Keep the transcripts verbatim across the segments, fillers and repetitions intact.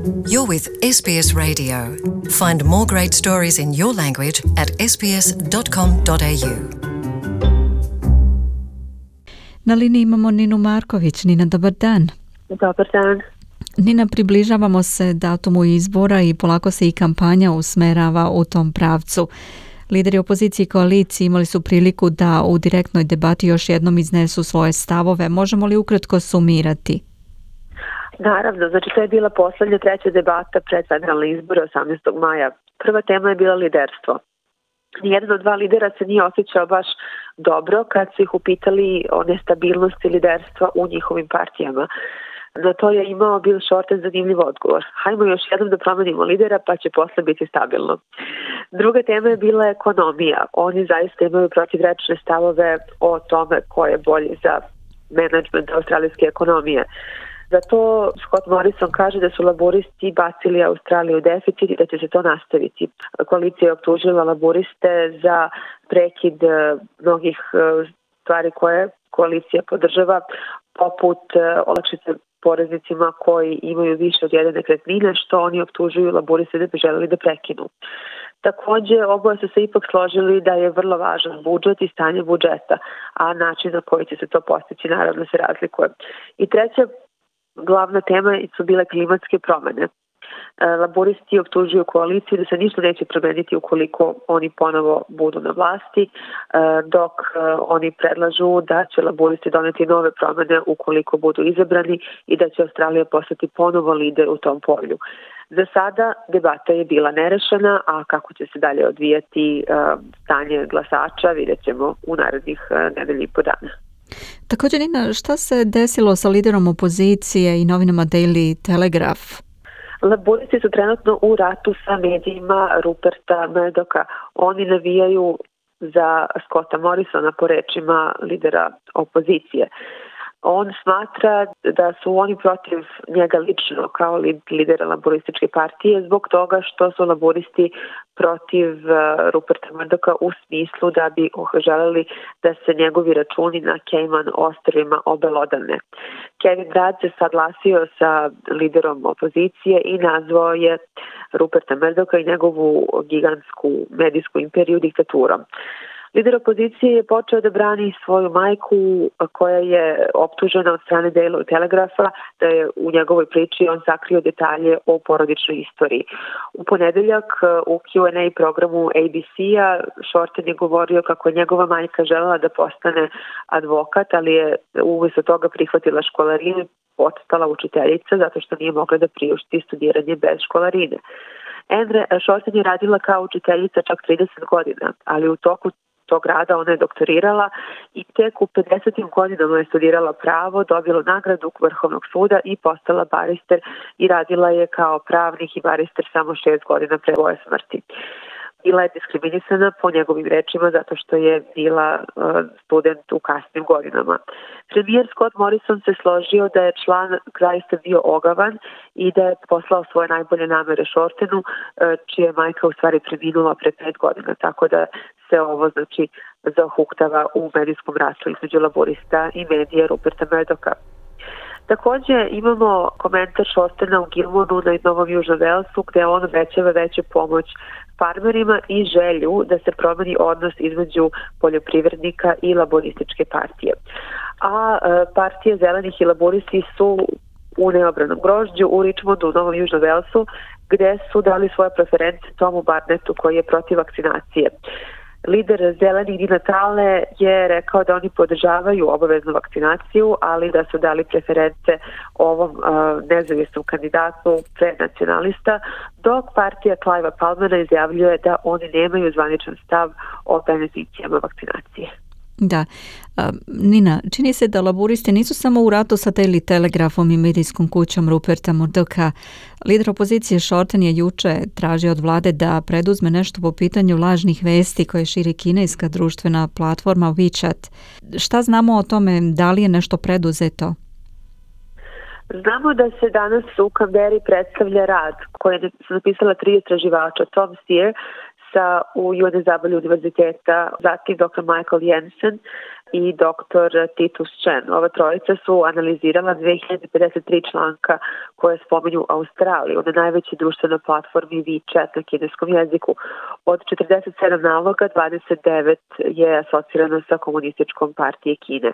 You're with S B S Radio. Find more great stories in your language at s b s dot com dot a u. Na liniji imamo Ninu Marković. Nina, dobar dan. Dobar dan. Nina, približavamo se datumu izbora i polako se i kampanja usmerava u tom pravcu. Lideri opozicije i koalicije imali su priliku da u direktnoj debati još jednom iznesu svoje stavove. Možemo li ukratko sumirati? Naravno, znači to je bila poslednja treća debata pred federalne izbore osamnaestog maja. Prva tema je bila liderstvo. Nijedan od dva lidera se nije osjećao baš dobro kad su ih upitali o nestabilnosti liderstva u njihovim partijama. Na to je imao Bill Shorten zanimljiv odgovor. Hajmo još jednom da promenimo lidera pa će posle biti stabilno. Druga tema je bila ekonomija. Oni zaista imaju protivrečne stavove o tome ko je bolji za menadžment australijske ekonomije. Zato Scott Morrison kaže da su laboristi bacili Australiju u deficit i da će se to nastaviti. Koalicija je optužila laboriste za prekid mnogih stvari koje koalicija podržava, poput olakšice poreznicima koji imaju više od jedne nekretnine, što oni optužuju laboriste da bi želeli da prekinu. Takođe, oboje su se ipak složili da je vrlo važan budžet i stanje budžeta, a način na koji će se to postići naravno se razlikuje. I treća glavna tema su bile klimatske promene. Laboristi optužuju koaliciju da se ništa neće promeniti ukoliko oni ponovo budu na vlasti, dok oni predlažu da će laboristi doneti nove promene ukoliko budu izabrani i da će Australija postati ponovo lider u tom polju. Za sada debata je bila nerešena, a kako će se dalje odvijati stanje glasača vidjet ćemo u narednih nedelju i po dana. Također, Nina, šta se desilo sa liderom opozicije i novinama Daily Telegraph? Laboristi su trenutno u ratu sa medijima Ruperta Murdocha. Oni navijaju za Scotta Morrisona po rečima lidera opozicije. On smatra da su oni protiv njega lično kao lidera laborističke partije zbog toga što su laboristi protiv Ruperta Murdocha u smislu da bi želeli da se njegovi računi na Cayman ostrvima obelodane. Kevin Rudd se saglasio sa liderom opozicije i nazvao je Ruperta Murdocha i njegovu gigantsku medijsku imperiju diktaturom. Lider opozicije je počeo da brani svoju majku koja je optužena od strane Daily Telegrapha da je u njegovoj priči on sakrio detalje o porodičnoj istoriji. U ponedeljak u Q and A programu A B C-a Shorten je govorio kako je njegova majka želela da postane advokat, ali je umjesto toga prihvatila školarinu i postala učiteljica zato što nije mogla da priušti studiranje bez školarine. Andre Shorten je radila kao učiteljica čak trideset godina, ali u toku tog rada ona je doktorirala i tek u pedesetim godinama je studirala pravo, dobila nagradu Vrhovnog suda i postala barister i radila je kao pravnik i barister samo šest godina pre svoje smrti. Bila je diskriminisana po njegovim rečima zato što je bila student u kasnim godinama. Premijer Scott Morrison se složio da je član zaista bio ogavan i da je poslao svoje najbolje namere Shortenu, čija je majka u stvari preminula pre pet godina, tako da se ovo znači zahuktava u medijskom ratu između laborista i medija Ruperta Murdocha. Također imamo komentar Shortena u Gilmonu na Novom Južnom Velsu gde on obećava veću pomoć farmerima i želju da se promeni odnos između poljoprivrednika i laborističke partije. A partije zelenih i laboristi su u neobranom grožđu u Richmondu u Novom Južnom Velsu gde su dali svoje preference Tomu Barnettu koji je protiv vakcinacije. Lider zelenih Di Natale je rekao da oni podržavaju obaveznu vakcinaciju, ali da su dali preference ovom uh, nezavisnom kandidatu prednacionalista, dok partija Cliva Palmera izjavljuje da oni nemaju zvaničan stav o beneficijama vakcinacije. Da. Nina, čini se da laburisti nisu samo u ratu sa Daily Telegraphom i medijskom kućom Ruperta Murdocha. Lider opozicije Shorten je juče tražio od vlade da preduzme nešto po pitanju lažnih vesti koje širi kineska društvena platforma WeChat. Šta znamo o tome, da li je nešto preduzeto? Znamo da se danas u Kamberi predstavlja rad koji su napisala tri istraživača, Tom Steer sa U N W univerziteta, zatim doktor Michael Jensen i doktor Titus Chen. Ova trojica su analizirala dve hiljade pedeset tri članka koje spominju Australiju na najvećoj društvenoj platformi WeChat na kineskom jeziku. Od četrdeset sedam naloga, dvadeset devet je asocirano sa Komunističkom partije Kine.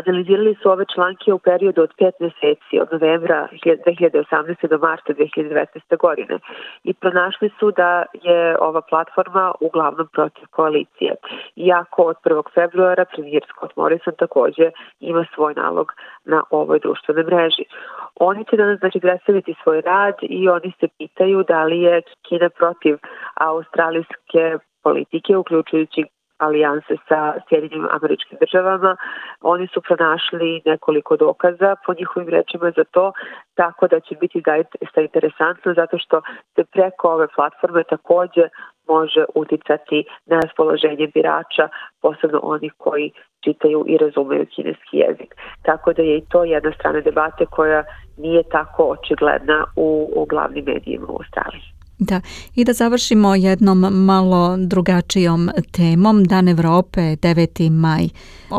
Analizirali su ove članke u periodu od pet meseci, od novembra dve hiljade osamnaeste. do marta dve hiljade devetnaeste. godine. I pronašli su da je ova platforma uglavnom protiv koalicije. Iako od prvog februara premijer Scott Morrison takođe ima svoj nalog na ovoj društvenoj mreži. Oni će danas znači predstaviti svoj rad i oni se pitaju da li je Kina protiv australijske politike, uključujući alijanse sa Sjedinjenim Američkim Državama. Oni su pronašli nekoliko dokaza po njihovim rečima za to, tako da će biti zaista interesantno zato što se preko ove platforme takođe može uticati na raspoloženje birača, posebno onih koji čitaju i razumeju kineski jezik. Tako da je i to jedna strana debate koja nije tako očigledna u, u glavnim medijima u Australiji. Da, i da završimo jednom malo drugačijom temom. Dan Evrope, deveti maj,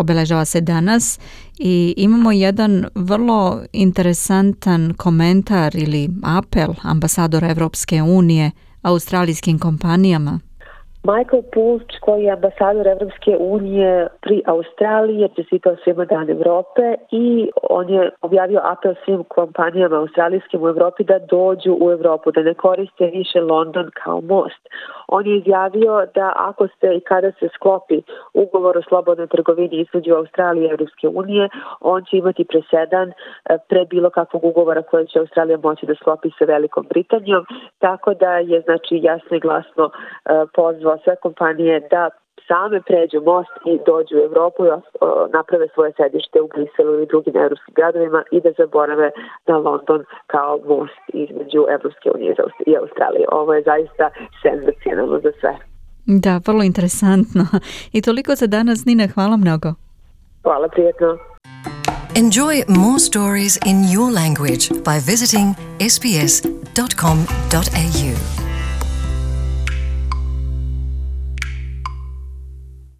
obeležava se danas i imamo jedan vrlo interesantan komentar ili apel ambasadora Evropske unije australijskim kompanijama. Michael Pulch, koji je ambasador Evropske unije pri Australiji, je čestitao svima Dan Evrope i on je objavio apel svim kompanijama australijskim u Evropi da dođu u Evropu, da ne koriste više London kao most. On je izjavio da ako se i kada se sklopi ugovor o slobodnoj trgovini između Australije i Evropske unije, on će imati presedan pre bilo kakvog ugovora koje će Australija moći da sklopi sa Velikom Britanijom, tako da je znači jasno i glasno pozvao sve kompanije da same pređu most i dođu u Evropu i naprave svoje sedište u Briselu ili drugim evropskim gradovima i da zaborave na London kao most između Evropske unije i Australije. Ovo je zaista senzacionalno za sve. Da, vrlo interesantno. I toliko za danas, Nina, hvala mnogo. Hvala, prijetno. Enjoy more stories in your language by visiting s b s dot com dot a u.